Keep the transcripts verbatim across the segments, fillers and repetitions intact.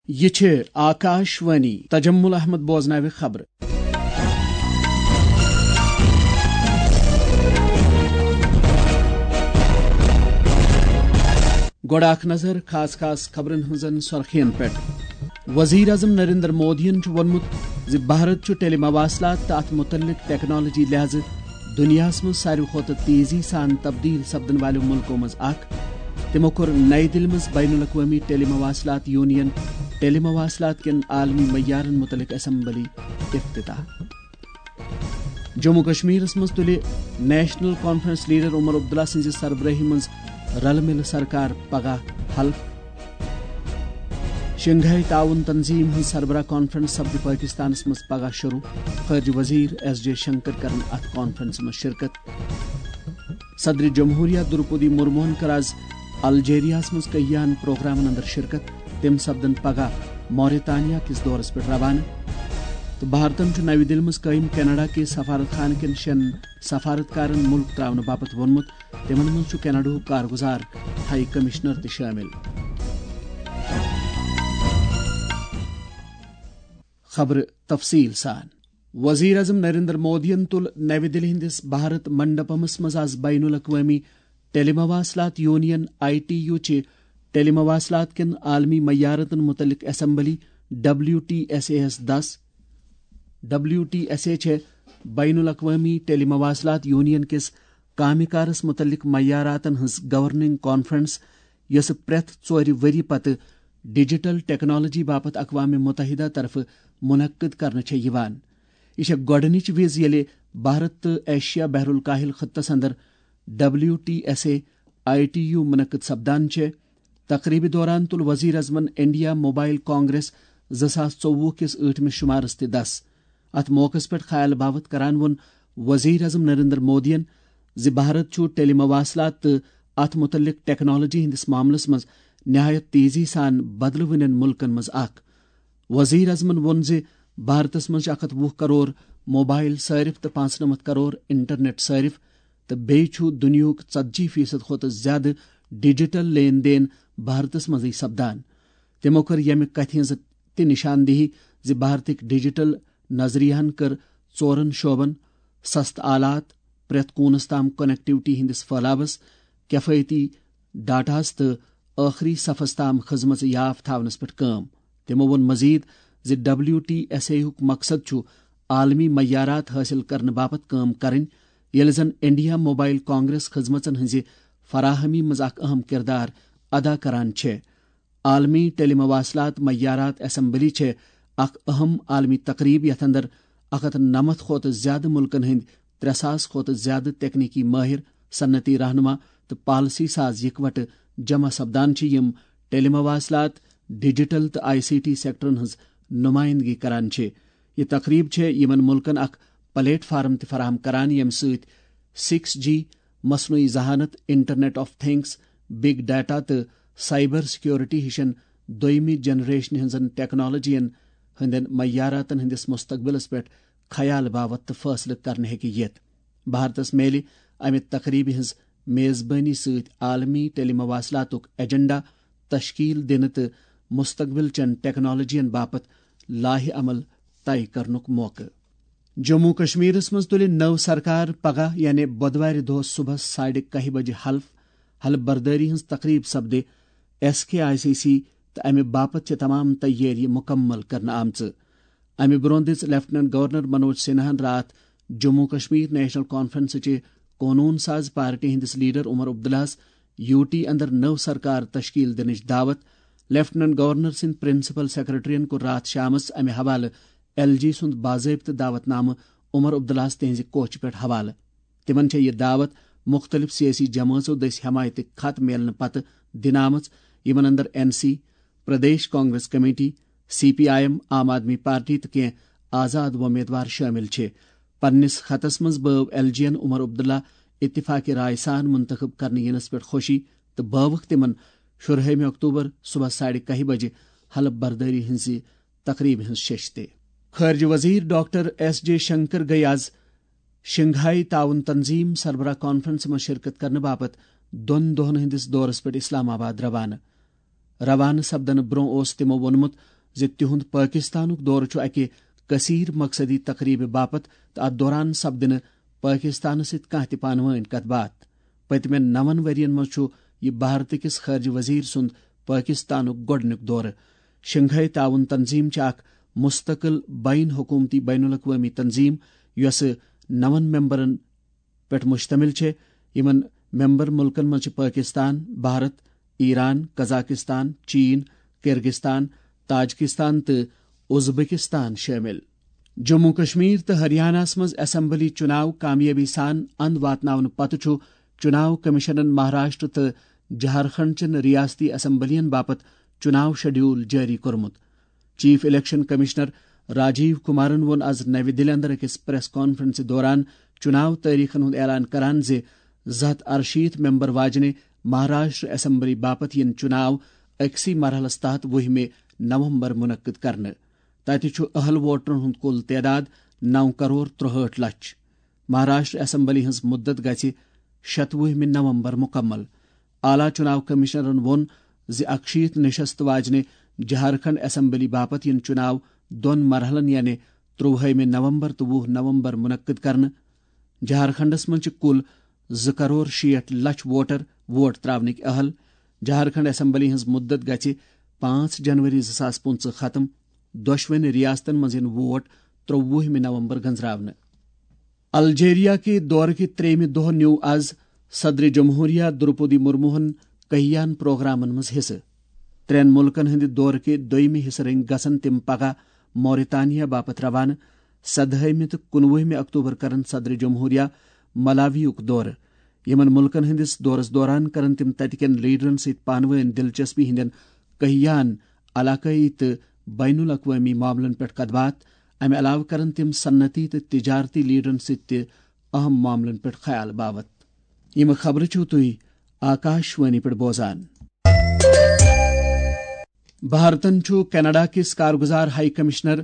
یہِ چھِ آکاش وانی۔ تجمل احمد بوزناوِ خبرٕ۔ گۄڈٕ اکھ نظر خاص خاص خبرن ہٕنٛزن سرخین پٮ۪ٹھ۔ وزیر اعظم نریندر مودیَن چھُ ووٚنمُت زِ بھارت چھُ ٹیلی مواصلات تہٕ اتھ متعلق ٹیکنالوجی لحاظہٕ دنیاہس منٛز ساروی کھۄتہٕ تیزی سان تبدیل سپدن والٮ۪و ملکو منٛز اکھ۔ تِمو کوٚر نئی دِلہِ منٛز بین الاقوٲمی ٹیلی مواصلات یونین، ٹیلی مواصلات کٮ۪ن عالمی معیارن متعلق اسمبلی افتتاح۔ جموں کشمیرس منٛز تُلہِ national conference leader Omar Abdullah سٕنٛزِ سربرٲہی منٛز رلہٕ مِلہٕ سرکار پگاہ حلف۔ شنگھائی تعاون تنظیم ہٕنٛز سربراہ کانفرنس سپدِ پٲکستانس منٛز پگاہ شروع۔ خارجہ وزیر ایس جے شنکر کرن اتھ کانفرنسہِ منٛز شرکت۔ صدر جمہوریہ درپودی مرموہن کٔر از الجیریاہس منٛز کہیاہن پروگرامن اندر شرکت۔ تِم سپدن پگاہ موریتانیا کِس دورس پٮ۪ٹھ روانہٕ۔ تہٕ بھارتن چھُ نَوِ دِلہِ منٛز قٲیِم کینیڈا کِس سفارت خانہٕ کٮ۪ن شٮ۪ن سفارتکارن مُلک ترٛاونہٕ باپتھ ووٚنمُت۔ تِمن منٛز چھُ کینیڈاہُک کارگزار ہائی کمشنر تہِ شٲمِل۔ خبرٕ تفصیٖل سان۔ وزیر اعظم نریندر مودیَن تُل نَوِ دِلہِ ہٕنٛدِس بھارت منڈپمس منٛز از بین الاقوٲمی ٹیلی مواصلات یونین، آئی ٹی یو، چہِ ٹیلی مواصلات کٮ۪ن عالمی معیاراتن متعلق assembly, W T S A یَس دَس۔ ڈبلیو ٹی ایس اے چھےٚ بین الاقوٲمی ٹیلی مواصلات یونین کِس کامہِ کارس متعلق معیاراتن ہٕنٛز گورننگ کانفرنس، یۄسہٕ پرٛٮ۪تھ ژورِ ؤری پتہٕ ڈیجیٹل ٹیکنالوجی باپتھ اقوام متحدہ طرفہٕ منعقد کرنہٕ چھےٚ یِوان۔ یہِ چھےٚ گۄڈٕنِچ وِز ییٚلہِ بھارت تہٕ ایشیا بحر الکاہل خطس اندر W T S A I T U منعقد سپدان چھےٚ۔ تقریبہِ دوران تُل وزیر اعظمن انڈیا موبائل کانگریس زٕ ساس ژوٚوُہ کِس ٲٹھمِس شمارس تہِ دَس۔ اتھ موقعس پٮ۪ٹھ خیال باوت کران ووٚن وزیر اعظم نریندر مودیَن زِ بھارت چھُ ٹیلی مواصلات تہٕ اتھ متعلق ٹیکنالوجی ہٕنٛدِس معاملس منٛز نہایت تیزی سان بدلہٕ وٕنٮ۪ن ملکن منٛز اکھ۔ وزیر اعظمن ووٚن زِ بھارتس منٛز چھِ اکھ ہتھ وُہ کرور موبائل صارف تہٕ پانٛژنمتھ کرور انٹرنیٹ صارف، تہٕ بیٚیہِ چھُ دُنیاہُک ژتجی فیصد کھۄتہٕ زیادٕ ڈیجیٹل لین دین بھارتس منٛزٕے سپدان۔ تِمو کٔر ییٚمہِ کتھِ ہٕنٛز تہِ نشاندہی زِ بھارتٕکۍ ڈیجیٹل نظریہن کٔر ژورن شعبن، سستہٕ آلات، پرٛٮ۪تھ کوٗنس تام کنیکٹیوٹی ہٕنٛدِس پھٔہلاوس، کفایتی ڈاٹاہس تہٕ ٲخری صفس تام خدمژ یاف تھاونس پٮ۪ٹھ کٲم۔ تِمو ووٚن مزید زِ ڈبلیو ٹی ایس اے ہُک مقصد چھُ عالمی معیارات حٲصِل کرنہٕ باپتھ کٲم کرٕنۍ، ییٚلہِ زن انڈیا موبائل کانگریس خدمژن ہٕنٛزِ فراہمی منٛز اکھ اہم کردار ادا کران چھےٚ۔ عالمی ٹیلی مواصلات معیارات اسمبلی چھےٚ اکھ اہم عالمی تقریب یتھ اندر اکھ ہتھ نَمَتھ کھۄتہٕ زیادٕ ملکن ہٕنٛدۍ ترٛےٚ ساس کھۄتہٕ زیادٕ تکنیکی ماہر، صنعتی رہنما تہٕ پالیسی ساز یکوٹہٕ جمع سپدان چھِ، یِم ٹیلی مواصلات، ڈیجیٹل تہٕ آئی سی ٹی سیکٹرن ہٕنٛز نمائندگی کران چھِ۔ یہِ تقریب چھےٚ یِمن ملکن اکھ پلیٹ فارم تہِ فراہم کران، ییٚمہِ سۭتۍ سکس جی، مصنوعی ذہانت، internet of things, big data تہٕ سائبر سیکیورٹی ہِشن دوٚیمہِ جنریشنہِ ہٕنٛزن ٹیکنالوجین ہٕنٛدٮ۪ن معیاراتن ہٕنٛدِس مستقبلس پٮ۪ٹھ خیال باوت تہٕ فٲصلہٕ کرنہٕ ہیٚکہِ یِتھ۔ بھارتس میلہِ امہِ تقریبہِ ہٕنٛز میزبٲنی سۭتۍ عالمی ٹیلی مواصلاتُک ایجنڈا تشکیل دِنہٕ تہٕ مستقبل چٮ۪ن ٹیکنالوجین باپتھ لائحہ عمل طے کرنُک موقعہٕ۔ جموں کشمیرس منٛز تُلہِ نٔو سرکار پگاہ یعنی بۄدوارِ دۄہ صبحس ساڑِ کاہہِ بجہِ حلف۔ حلف بردٲری ہٕنٛز تقریب سپدِ S K I C C تہٕ امہِ باپتھ چھِ تمام تیٲری مکمل کرنہٕ آمژٕ۔ امہِ برونٛہہ دِژ لیفٹیننٹ گورنر منوج سنہاہن راتھ جموں کشمیر نیشنل کانفرنسٕچہِ قونوٗن ساز پارٹی ہٕنٛدِس لیڈر عمر عبداللہس یو ٹی اندر نٔو سرکار تشکیل دِنٕچ دعوت۔ لیفٹیننٹ گورنر سٕنٛدۍ پرنسپل سیکرٹریَن کوٚر راتھ شامس امہِ حوالہٕ ایل جی سُنٛد باضٲبطہٕ دعوت نامہٕ عمر عبداللہس تِہنٛزِ کوچہِ پٮ۪ٹھ حوالہٕ۔ تِمن چھےٚ یہِ دعوت مُختٔلِف سیٲسی جمٲژو دٔسۍ حمایتٕکۍ خط میلنہٕ پتہٕ دِنہٕ آمٕژ، یِمن اندر N C, Pradesh Congress committee, C P I M, Aam Aadmi party تہٕ کینٛہہ آزاد وۄمیدوار شٲمِل چھِ۔ پننِس خطس منٛز بٲو ایل جی ین عمر عبداللہ اتفاق رائے سان منتخب کرنہٕ یِنس پٮ۪ٹھ خوشی تہٕ بٲوٕکھ تِمن شُرہٲیمہِ اکتوبر صبحس ساڑِ کاہہِ بجہِ حلف بردٲری ہٕنٛزِ تقریبہِ ہٕنٛز شیٚش تہِ۔ خارجہ وزیر ڈاکٹر ایس جے شنکر گٔیہِ از شنگھائی تعاون تنظیم سربراہ کانفرنسہِ منٛز شرکت کرنہٕ باپتھ دۄن دۄہن ہٕنٛدِس دورس پٮ۪ٹھ اسلام آباد روانہٕ۔ روانہٕ سپدنہٕ برونٛہہ اوس تِمو ووٚنمُت زِ تِہُنٛد پٲکِستانُک دورٕ چھُ اَکہِ کثیر مقصدی تقریبہِ باپتھ تہٕ اَتھ دوران سپدِ نہٕ پٲکِستانَس سۭتۍ کانٛہہ تہِ پانہٕ وٲنۍ کَتھ باتھ۔ پٔتمٮ۪ن نَوَن ؤرین منٛز چھُ یہِ بھارتہٕ کِس خارجہ وزیر سُنٛد پٲکِستانُک گۄڈٕنیُک دورٕ۔ شنگھائی تعاون تنظیم چھِ اکھ مستقل بین حکومتی بین الاقوٲمی تنظیم، یۄسہٕ نَوَن ممبرن پٮ۪ٹھ مشتمل چھےٚ۔ یِمن ممبر ملکن منٛز چھِ پٲکستان، بھارت، ایران، قزاقستان، چین، کرغستان، تاجکستان تہٕ ازبکستان شٲمِل۔ جموں کشمیر تہٕ ہریانہس منٛز اسمبلی چُناو کامیٲبی سان اند واتناونہٕ پتہٕ چھُ چُناو کمیشنن مہاراشٹر تہٕ جھارکھنڈ چٮ۪ن ریاستی اسمبلین باپتھ چُناو شیڈول جٲری کوٚرمُت۔ Chief election commissioner Rajiv Kumaran ووٚن آز نَوِ دِلہِ اندر أکِس پریس کانفرنسہِ دوران چُناو تٲریخن ہُنٛد اعلان کران زِ زٕ ہتھ ارشیٖتھ ممبر واجنہِ مہاراشٹر اسمبلی باپتھ یِن چُناو أکسٕے مرحلس تحت وُہمہِ نومبر منعقد کرنہٕ۔ تتہِ چھُ اہل ووٹرن ہُنٛد کُل تعداد نو کرور ترُہٲٹھ لچھ۔ مہاراشٹر اسمبلی ہٕنٛز مُدت گژھِ شتوُہمہِ نومبر مُکمل۔ اعلیٰ چُناو کمشنرن ووٚن زِ اکشیٖتھ نشست واجنہِ جھارکھنڈ اسمبلی باپتھ یِن چُناو دۄن مرحلن، یعنی ترٛوُہمہِ نومبر تہٕ وُہ نومبر منعقد کرنہٕ۔ جھارکھنڈس منٛز چھِ کُل زٕ کرور شیٹھ لچھ ووٹر ووٹ تراونٕکۍ اہل۔ جھارکھنڈ اسمبلی ہٕنٛز مُدت گژھِ پانٛژھ جنوری زٕ ساس پٕنٛژٕہ ختم۔ دۄشوٕنی ریاستن منٛز یِن ووٹ ترٛوُہمہِ نومبر گنزراونہٕ۔ الجیریا کہِ دورٕ کہِ ترٛیٚیمہِ دۄہ نیوٗ آز صدر جمہوریہ درپودی مرموہن کہیان پروگرامن منٛز حصہٕ۔ ترٛٮ۪ن مُلکن ہٕنٛدِ دورٕ کہِ دوٚیمہِ حصہٕ رٔنگۍ گژھن تِم پگاہ موریتانیا باپتھ روانہٕ۔ سدہٲیمہِ تہٕ کُنوُہمہِ اکتوبر کرن صدر جمہوریہ ملاویُک دورٕ۔ یِمن مُلکن ہٕنٛدِس دورس دوران کرن تِم تتہِ کٮ۪ن لیڈرن سۭتۍ پانہٕ وٲنۍ دلچسپی ہٕنٛدٮ۪ن کہیان علاقٲیی تہٕ بین الاقوٲمی معاملن پٮ۪ٹھ کتھ باتھ۔ امہِ علاوٕ کرن تِم صنعتی تہٕ تجارتی لیڈرن سۭتۍ تہِ اہم معاملن پٮ۪ٹھ خیال باوت۔ یِم خبرٕ چھِو تُہۍ آکاش وانی پٮ۪ٹھ بوزان۔ بھارتن چھُ کینیڈا کِس کارگزار ہائی کمشنر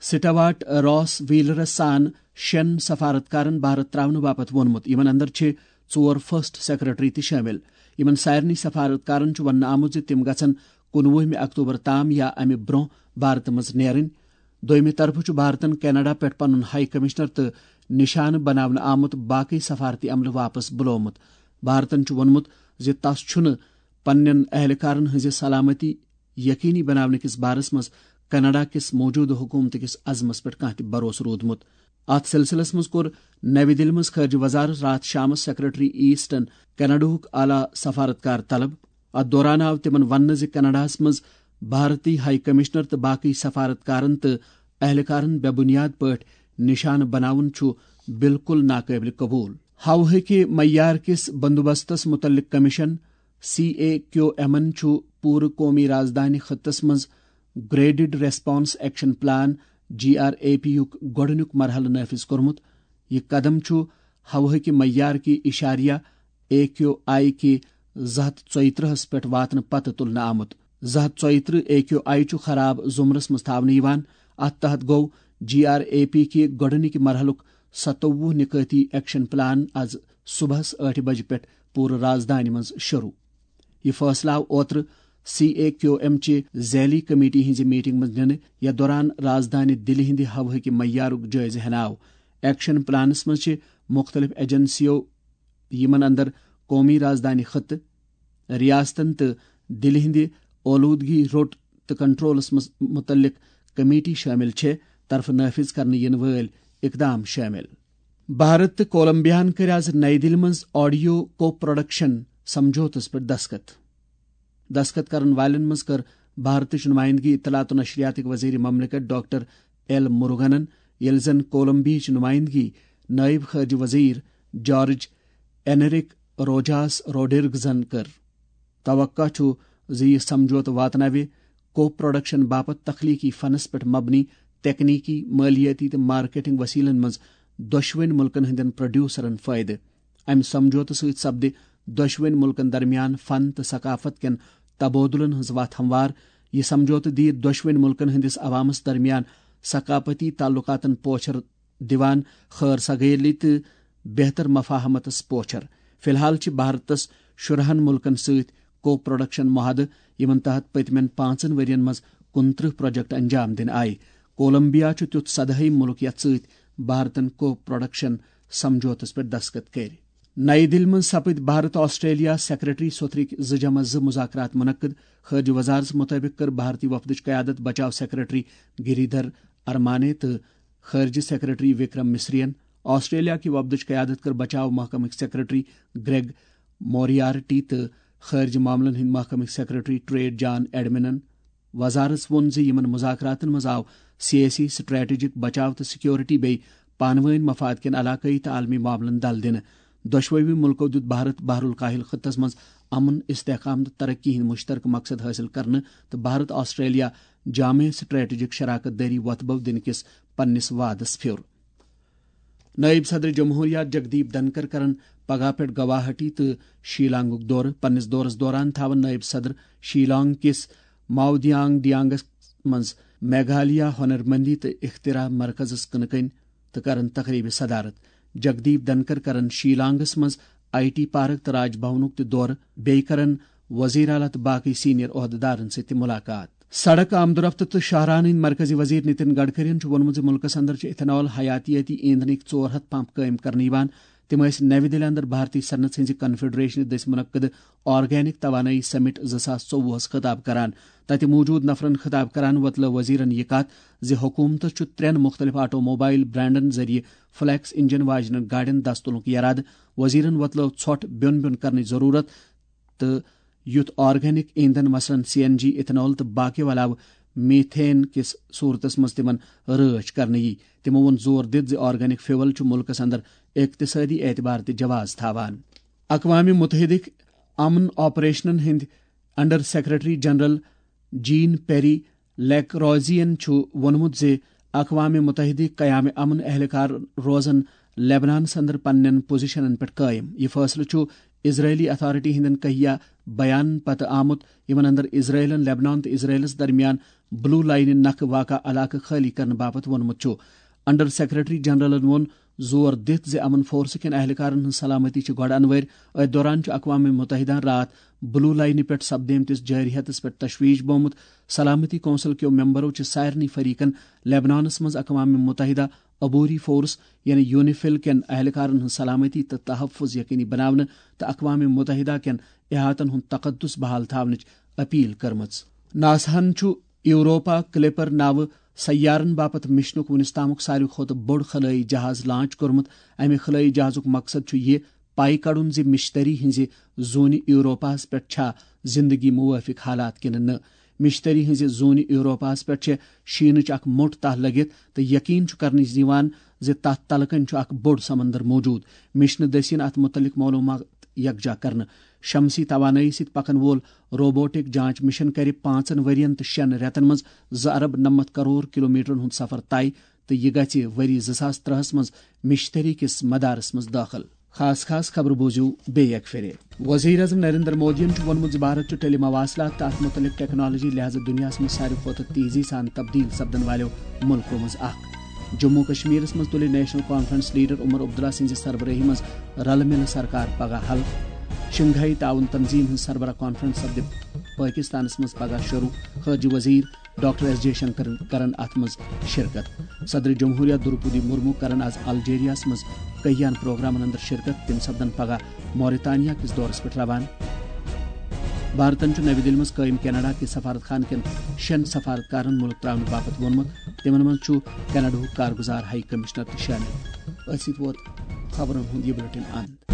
سٹاواٹ راس ویلرس سان شٮ۪ن سفارتکارن بھارت تراونہٕ باپتھ ووٚنمُت۔ یِمن اندر چھِ ژور فرسٹ سیکرٹری تہِ شٲمِل۔ یِمن سارنٕے سفارتکارن چھُ وننہٕ آمُت زِ تِم گژھن کُنوُہمہِ اکتوبر تام یا امہِ برونٛہہ بھارتہٕ منٛز نیرٕنۍ۔ دوٚیمہِ طرفہٕ چھُ بھارتن کینیڈا پٮ۪ٹھ پنُن ہائی کمشنر تہٕ نشانہٕ بناونہٕ آمُت باقٕے سفارتی عملہٕ واپس بُلومُت۔ بھارتن چھُ ووٚنمُت زِ تس چھُنہٕ پننٮ۪ن اہلکارن ہٕنٛزِ سلامتی یقینی بناونہٕ کِس بارس منٛز کینیڈا کِس موجودٕ حکومتہٕ کِس عزمس پٮ۪ٹھ کانٛہہ تہِ بھروسہٕ روٗدمُت۔ اتھ سلسلس منٛز کوٚر نَوِ دِلہِ منٛز خارجہ وزارت راتھ شامس سیکرٹری ایسٹن کینیڈاہُک اعلیٰ سفارتکار طلب۔ اتھ دوران آو تِمن وننہٕ زِ کینیڈاہس منٛز بھارتی ہائی کمشنر تہٕ باقی سفارتکارن تہٕ اہلکارن بے بنیاد پٲٹھۍ نشانہٕ بناوُن چھُ بالکل ناقابل قبول۔ ہوہٕکہِ معیار کِس بندوبستس متعلق کمیشن، سی اے کیو ایمن چھُ پوٗرٕ قومی رازدانہِ خطس منٛز graded response action plan, G R A P یُک گۄڈٕنیُک مرحلہٕ نافذ کوٚرمُت۔ یہِ قدم چھُ ہوہٕکہِ معیار کہِ اشاریہ اے کیو آئی کہِ زٕ ہتھ ژۄیہِ ترٕٛہس پٮ۪ٹھ واتنہٕ پتہٕ تُلنہٕ آمُت۔ زٕ ہتھ ژۄیہِ ترٕٛہ اے کیو آئی چھُ خراب زمرس منٛز تھاونہٕ یِوان۔ اتھ تحت گوٚو جی آر اے پی کہِ گۄڈٕنِکہِ مرحلُک ستووُہ نکٲتی ایکشن پلان از صبحس ٲٹھِ بجہِ پٮ۪ٹھ پوٗرٕ رازدانہِ منٛز شروع۔ یہِ فٲصلہٕ آو اوترٕ سی اے کیو ایم چہِ ذیلی کمیٹی ہٕنٛزِ میٹنگ منٛز نِنہٕ، یتھ دوران رازدانہِ دِلہِ ہٕنٛدِ ہوہٕکہِ معیارُک جٲیزٕ ہینہٕ آو۔ ایکشن پلانس منٛز چھِ مُختٔلِف ایجنسیو، یِمن اندر قومی رازدانہِ خطہٕ، ریاستن تہٕ دِلہِ ہٕنٛدِ اولوٗدگی روٚٹ تہٕ کنٹرولس منٛز مُتعلق کمیٹی شٲمِل چھےٚ، طرفہٕ نافذ کرنہٕ یِنہٕ وٲلۍ اقدام شٲمِل۔ بھارت تہٕ کولمبیاہن کٔرۍ آز نَیہِ دِلہِ منٛز آڈیو کو پروڈکشن سمجھوتس پٮ۪ٹھ دستخط۔ دستخط کرن والٮ۪ن منٛز کٔر بھارتٕچ نمائندگی اطلاعات و نشریاتٕکۍ وزیر مملکت ڈاکٹر ایل مروگنن، ییٚلہِ زن کولمبیاہٕچ نمائندگی نائب خارجہ وزیر جارج اینرک روجاس روڈرگزن کٔر۔ توقع چھُ زِ یہِ سمجھوتہٕ واتناوِ کو پروڈکشن باپتھ تخلیقی فنس پٮ۪ٹھ مبنی تکنیکی، مالیاتی تہٕ مارکیٹنگ وسیلن منٛز دۄشوٕنۍ ملکن ہٕنٛدٮ۪ن پروڈیوسرن فٲیدٕ۔ امہِ سمجھوتہٕ سۭتۍ سپدِ دۄشوٕنۍ ملکن درمیان فن تہٕ ثقافت کٮ۪ن تبادلن ہٕنٛز وتھ ہموار۔ یہِ سمجھوتہٕ دِیہِ دۄشوٕنۍ ملکن ہٕنٛدِس عوامس درمیان ثقافتی تعلقاتن پوچھر دِوان خٲر سگٲلی تہٕ بہتر مفاہمتس پوچھر۔ فی الحال چھِ بھارتس شُرہن ملکن سۭتۍ کو پروڈکشن معاہدٕ، یِمن تحت پٔتمٮ۪ن پانٛژن ؤرین منٛز کُنترٕہ پروجیکٹ انجام دِنہٕ آیہِ۔ کولمبیا چھُ تیُتھ سدہٲیِم مُلک یَتھ سۭتۍ بھارتن کو پروڈکشن سمجھوتس پٮ۪ٹھ دستخط کٔرۍ۔ نئی دِلہِ منٛز سپٕدۍ بھارت آسٹریلیا سیکرٹری سوتھرٕکۍ زٕ جمع زٕ مذاکرات منعقد۔ خارجہ وزارتس مطٲبق کٔر بھارتی وفدٕچ قیادت بچاو سیکرٹری گریدھر ارمانے تہٕ خارجہ سیکرٹری وکرم مصرین۔ آسٹریلیا کہِ وفدٕچ قیادت کٔر بچاو محکمٕکۍ سیکرٹری گریگ موریارٹی تہٕ خارجہ معاملن ہٕنٛدۍ محکمٕکۍ سیکرٹری ٹریڈ جان ایڈمنن۔ وزارتس ووٚن زِ یِمن مذاکراتن منٛز آو سیٲسی، سٹریٹجک، بچاو تہٕ سیکیورٹی بیٚیہِ پانہٕ وٲنۍ مفاد کٮ۪ن علاقٲیی تہٕ عالمی معاملن دل دِنہٕ۔ دۄشوٕے مُلکو دیُت بھارت بحر الکاہل خطس منٛز امن، استحکام تہٕ ترقی ہٕنٛدۍ مشترکہٕ مقصد حٲصِل کرنہٕ تہٕ بھارت آسٹریلیا جامع سٹریٹجک شراکت دٲری وۄتھٕ بو دِنہٕ کِس پننِس وعدس پھیُر۔ نائب صدر جمہوریہ جگدیپ دھنکر کرن پگہہ پٮ۪ٹھ گواہاٹی تہٕ شیلانگُک دورٕ۔ پننِس دورس دوران تھاون نائب صدر شیلانگ کِس ماودیانگ ڈیانگس منٛز میگھالیہ ہنرمندی تہٕ اختراع مرکزس کٕنہٕ کٔنۍ تہٕ کرن تقریبہِ صدارت۔ جگدیپ دھنکر کرن شیلانگس منٛز آئی ٹی پارک تہٕ راج بھونُک تہِ دورٕ۔ بیٚیہِ کرن وزیر اعلیٰ تہٕ باقٕے سینئر عہدٕدارن سۭتۍ تہِ ملاقات۔ سڑک، آمدورفت تہٕ شاہراہن ہٕنٛدۍ مرکزی وزیر نتن گڈکرین چھُ ووٚنمُت زِ مُلکس اندر چھُ ethanol حیاتیٲتی ایندھنٕکۍ ژور ہتھ پمپ قٲیِم کرنہٕ یِوان۔ تِم ٲسۍ نَوِ دِلہِ اندر بھارتی صنعت ہٕنٛزِ کنفیڈریشنہِ دٔسۍ منعقد آرگینک توانٲیی سمٹ زٕ ساس ژوٚوُہس خطاب کران۔ تتہِ موجود نفرن خطاب کران وۄتلٲو وزیرن یہِ کتھ زِ حکومتس چھُ ترٛٮ۪ن مُختٔلِف آٹو موبائل برانڈن ذٔریعہٕ فلیکس انجن واجنٮ۪ن گاڑٮ۪ن دست تُلنُک یرادٕ۔ وزیرن وۄتلٲو ژھۄٹھ بیوٚن بیوٚن کرنٕچ ضروٗرت تہٕ یُتھ آرگینک ایندھن، مثلاً سی این جی، ethanol تہٕ باقیو علاوٕ میتھین کِس صورتس منٛز تِمن رٲچھ کرنہٕ یی۔ تِمو ووٚن زور دِتھ زِ آرگینک فیول چھُ مُلکس اندر اقتصٲدی اعتبار تہِ جواز تھاوان۔ اقوام متحدٕکۍ امن آپریشنن ہٕنٛدۍ under secretary general Jean Pierre Lacroix چھُ ووٚنمُت زِ اقوام متحدٕکۍ قیام امن اہلکار روزن لیبنانس اندر پننٮ۪ن پوزیشنن پٮ۪ٹھ قٲیِم۔ یہِ فٲصلہٕ چھُ اسرائیلی اتھارٹی ہٕنٛدٮ۪ن کہیا بیان پتہٕ آمُت، یِمن اندر اسرائیلن لیبنان تہٕ اسرائیلس درمیان بلو لائنہِ نکھٕ واقع علاقہٕ خٲلی کرنہٕ باپتھ ووٚنمُت چھُ۔ انڈر سیکرٹری جنرلن ووٚن زور دِتھ زِ امن فورسہٕ کٮ۪ن اہلکارن ہٕنٛز سلامتی چھِ گۄڈٕ انوٲرۍ۔ أتھۍ دوران چھُ اقوام متحدہ راتھ بلو لائنہِ پٮ۪ٹھ سپدیمتِس جٲرحیتس پٮ۪ٹھ تشویش بومُت۔ سلامتی کونسل کیو ممبرو چھِ سارنٕے فریقن لیبنانس منٛز اقوام متحدہ عبوری فورس یعنی یونیفل کٮ۪ن اہلکارن ہٕنٛز سلامتی تہٕ تحفظ یقینی بناونہٕ تہٕ اقوام متحدہ کٮ۪ن احاطن ہُنٛد تقدس بحال تھاونٕچ اپیل کٔرمٕژ۔ ناساہن چھُ یوروپا کلیپر ناوٕ سیارن باپتھ مشنُک وُنِس تامُک ساروی کھۄتہٕ بوٚڑ خلٲیی جہاز لانچ کوٚرمُت۔ امہِ خلٲیی جہازُک مقصد چھُ یہِ پاے کڑُن زِ مشتری ہٕنٛزِ زوٗنہِ یوروپاہس پٮ۪ٹھ چھا زندگی موٲفِق حالات کِنہٕ نہٕ۔ مشتری ہٕنٛزِ زوٗنہِ یوروپاہس پٮ۪ٹھ چھےٚ شیٖنٕچ اکھ موٚٹ تہہ لٔگِتھ تہٕ یقین چھُ کرنہٕ یِوان زِ تتھ تلہٕ کنہِ چھُ اکھ بوٚڑ سمندر موجود۔ مشنہٕ دٔسۍ یِن اتھ متعلق معلومات یکجا کرنہٕ۔ شمسی توانٲیی سۭتۍ پکن وول روبوٹک جانچ مشن کرِ پانٛژن ؤرین تہٕ شٮ۪ن رٮ۪تن منٛز زٕ ارب نَمَتھ کرور کلومیٹرن ہُنٛد سفر طے تہٕ یہِ گژھِ ؤری زٕ ساس ترٛہَس منٛز مشتری کِس مدارس منٛز دٲخل۔ خاص خاص خبرٕ بوٗزِو بیٚیہِ اکہِ پھِرِ۔ وزیر اعظم نریندر مودیَن چھُ ووٚنمُت زِ بھارت چھُ ٹیلی مواصلات تہٕ اتھ مُتعلق ٹیکنالوجی لحاظہٕ دُنیاہَس منٛز ساروی کھۄتہٕ تیزی سان تبدیل سپدن والٮ۪و مُلکو منٛز اکھ۔ جموں کشمیرس منٛز تُلہِ national conference leader Omar Abdullah سٕنٛزِ سربرٲہی منٛز رلہٕ مِلہٕ سرکار پگاہ حلف۔ شنگھائی تعاون تنظیم ہٕنٛز سربراہ کانفرنس سپدِ پٲکستانس منٛز پگاہ شروع۔ خارجہ وزیر ڈاکٹر ایس جے شنکرن کرن اتھ منٛز شرکت۔ صدر جمہوریہ دروپدی مرمو کرن از الجیریاہس منٛز کہیان پروگرامن اندر شرکت۔ تِم سپدن پگاہ موریتانیا کِس دورس پٮ۪ٹھ روانہٕ۔ بھارتن چھُ نَوِ دِلہِ منٛز قٲیِم کینیڈا کِس سفارت خانہٕ کٮ۪ن شٮ۪ن سفارتکارن مُلک ترٛاونہٕ باپتھ ووٚنمُت۔ تِمن منٛز چھُ کینیڈاہُک کارگُزار ہائی کمشنر تہِ شٲمِل۔ أتھۍ سۭتۍ ووت خبرن ہُنٛد یہِ بلیٹن اند۔